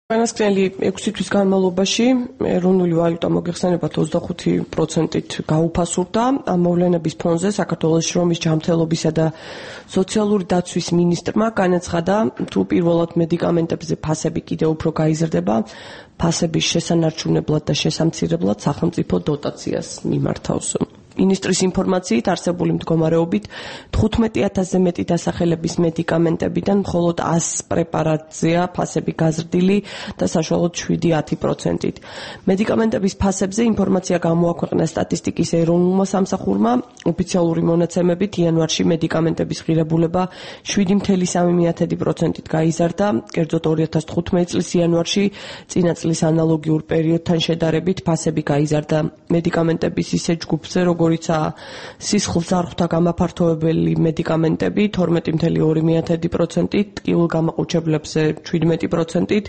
განსაკუთრებული 6 თვის განმავლობაში ეროვნული ვალუტა მოგეხსენებათ 25%-ით გაუფასურდა. ამ მოვლენების ფონზე საქართველოს შრომის ჯანმრთელობისა და სოციალური დაცვის მინისტრმა განაცხადა, თუ პირველად მედიკამენტებზე ფასები კიდევ უფრო გაიზრდება, ფასების შესანარჩუნებლად და შესამცირებლად სახელმწიფო დოტაციას მიმართავს. მინისტრის ინფორმაციით არსებული მდგომარეობით 15,000-ზე მეტი დასახელების მედიკამენტებიდან მხოლოდ 100 პრეპარატზეა ფასები გაზრდილი და საშუალოდ 7-10%-ით. მედიკამენტების ფასებზე ინფორმაცია გამოაქვეყნა სტატისტიკის ეროვნულმა სამსახურმა. ოფიციალური მონაცემებით იანვარში მედიკამენტების ღირებულება 7,3%-ით გაიზარდა, კერძოდ 2015 წლის იანვარში წინა წლის ანალოგიურ პერიოდთან შედარებით ფასები გაიზარდა. მედიკამენტების ისე ჯგუფზე, როგორიცაა სისხლძარღვთა გამაფართოვებელი მედიკამენტები 12,2%-ით, ტკივილგამაყუჩებლებზე 17%-ით,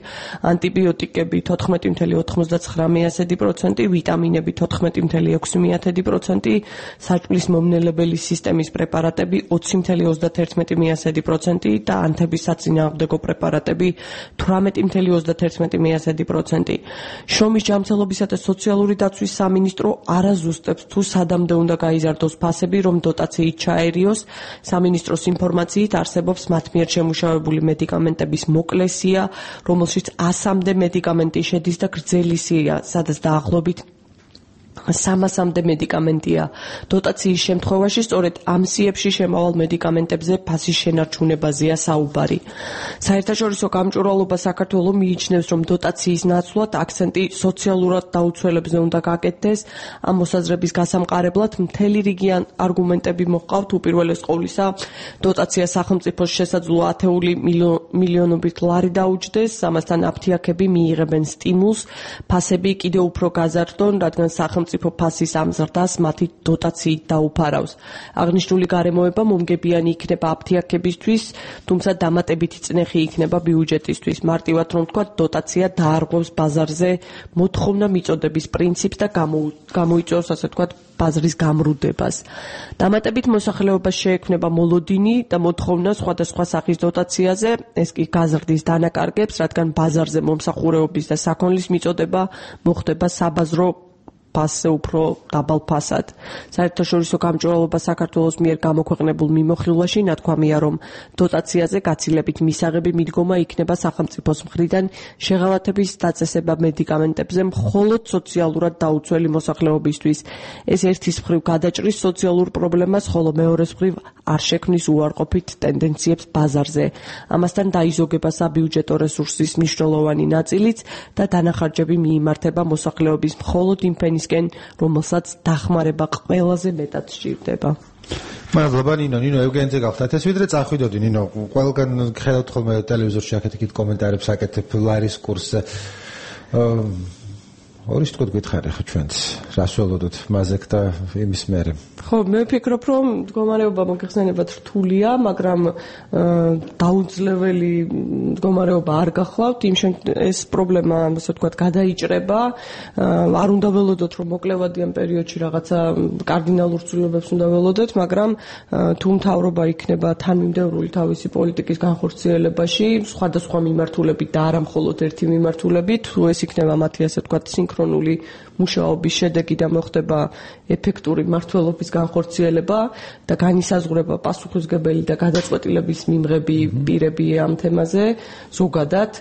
ანტიბიოტიკები 14,99%, ვიტამინები 14,6%, საჭმლის მომნელებელი სისტემის პრეპარატები 20,31% და ანთების საწინააღმდეგო პრეპარატები 18,31%. შრომის ჯანმრთელობისა და სოციალური დაცვის სამინისტრო არაზუსტებს თუ სადამდე უნდა გაიზარდოს ფასები, რომ დოტაციით ჩაერიოს. სამინისტროს ინფორმაციით არსებობს მათ მიერ შემუშავებული მედიკამენტების მოკლე სია, რომელშიც 100-მდე მედიკამენტი შედის და გრძელი სია, სადაც დაახლოებით 300-მდე მედიკამენტია. დოტაციის შემთხვევაში სწორედ ამ სიებში შემავალ მედიკამენტებზე ფასის შენარჩუნებაზეა საუბარი. საერთაშორისო გამჭვირვალობა საქართველოს მიიჩნევს, რომ დოტაციის ნაცვლად აქცენტი სოციალურად დაუცველებზე უნდა გაკეთდეს. ამ მოსაზრების გასამყარებლად მთელი რიგი არგუმენტები მოჰყავთ. უპირველეს ყოვლისა, დოტაცია სახელმწიფოს შესაძლო ათეული მილიონობით ლარი დაუჯდეს, ამასთან აფთიაქები მიიღებენ სტიმულს, ფასები კიდევ უფრო გაზარდონ, რადგან სახელმწიფო ფასის ამ ზრდას მათი დოტაციით დაუფარავს. აღნიშნული გარემოება მომგებიანი იქნება აფთიაქებისთვის, თუმცა დამატებითი წნეხი იქნება ბიუჯეტისთვის. მარტივად რომ ვთქვათ, დოტაცია დაარღვევს ბაზარზე მოთხოვნა მიწოდების პრინციპს და გამოიწვევს, ასე ვთქვათ, ბაზრის გამრუდებას. დამატებით მოსახლეობას შეექმნება მოლოდინი და მოთხოვნა სხვადასხვა სახის დოტაციაზე, ეს კი გაზრდის დანაკარგებს, რადგან ბაზარზე მომსახურეობის და საქონლის მიწოდება მოხდება საბაზრო ფასზე უფრო დაბალ ფასად. საერთაშორისო გამჭვირვალობა საქართველოს მიერ გამოქვეყნებულ მიმოხილვაში ნათქვამია, რომ დოტაციაზე გაცილებით მისაღები მიდგომა იქნება სახელმწიფოს მხრიდან შეღავათების დაწესება მედიკამენტებზე მხოლოდ სოციალურად დაუცველი მოსახლეობისთვის. ეს ერთის მხრივ გადაჭრის სოციალურ პრობლემას, ხოლო მეორეს მხრივ არ შექმნის უარყოფით ტენდენციებს ბაზარზე. ამასთან დაიზოგება საბიუჯეტო რესურსის მნიშვნელოვანი ნაწილიც და დანახარჯები მიიმართება მოსახლეობის მხოლოდ იმ ფენისკენ, რომელსაც დახმარება ყველაზე მეტად სჭირდება. მადლობა ნინო ევგენიძე გავხდათ. ეს ვიდრე წახვიდოდი ნინო, ყველგან ხედავთ ხოლმე ტელევიზორში აქეთ-იქით კომენტარებს აკეთებ ლარის კურსზე. ორი თქო გითხარი ხო ჩვენც რას ველოდოთ მაზეკ და იმის მერე. ხო, მე ვფიქრობ, რომ მდგომარეობა მოგეხსენებათ რთულია, მაგრამ დაუძლეველი მდგომარეობა არ გახლავთ. ეს პრობლემა, ასე ვთქვათ, გადაიჭრება. არ უნდა ველოდოთ, რომ მოკლევადიან პერიოდში რაღაცა კარდინალურ ცვლილებებს უნდა ველოდოთ, მაგრამ თუ მთავრობა იქნება თანმიმდევრული თავისი პოლიტიკის განხორციელებაში, სხვადასხვა მიმართულებით და არა მხოლოდ ერთი მიმართულებით, თუ ეს იქნება მათი, ასე ვთქვათ, სინქრონული მუშაობის შედეგი და მოხდება ეფექტური მმართველობის განხორციელება და განისაზღვრება პასუხისმგებელი და გადაწყვეტილების მიმღები პირები ამ თემაზე, ზოგადად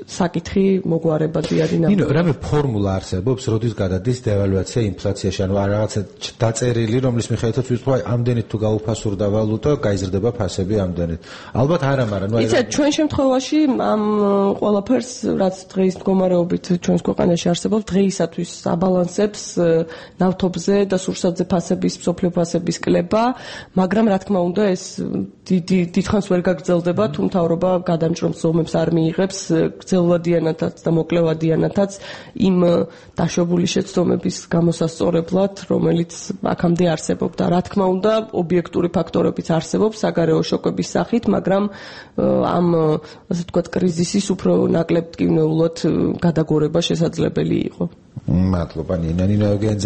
საკითხი მოგვარებადი არის. ნინო, რამე ფორმულა არსებობს, როდის გადადის დევალვაცია ინფლაციაში, ანუ რაღაცა დაწერილი, რომლის მიხედვითაც ვიტყვი, ამდენით თუ გაუფასურდა ვალუტა, გაიზრდება ფასები ამდენით. ალბათ არა, მაგრამ იცით, ჩვენ შემთხვევაში ამ ყველაფერს, რაც დღეის მდგომარეობით ჩვენს ქვეყანაში არსებობს, დღეისათვის აბალანსებს ნავთობზე და სურსათზე ფასების, მსოფლიო ფასების კლება, მაგრამ რა თქმა უნდა, ეს დიდხანს ვერ გაგრძელდება, თუ მთავრობა გადამჭრომს ზომებს არ მიიღებს გრძელვადიანათაც და მოკლევადიანათაც იმ დაშვებული შეცდომების გამოსასწორებლად, რომელიც აქამდე არსებობდა. რა თქმა უნდა, ობიექტური ფაქტორებიც არსებობს საგარეო შოკების სახით, მაგრამ ამ, ასე ვთქვათ, კრიზისის უფრო ნაკლებ ტკივნეულად გადაგორება შესაძლებელი იყო. მადლობა ნინო ევგენიძე.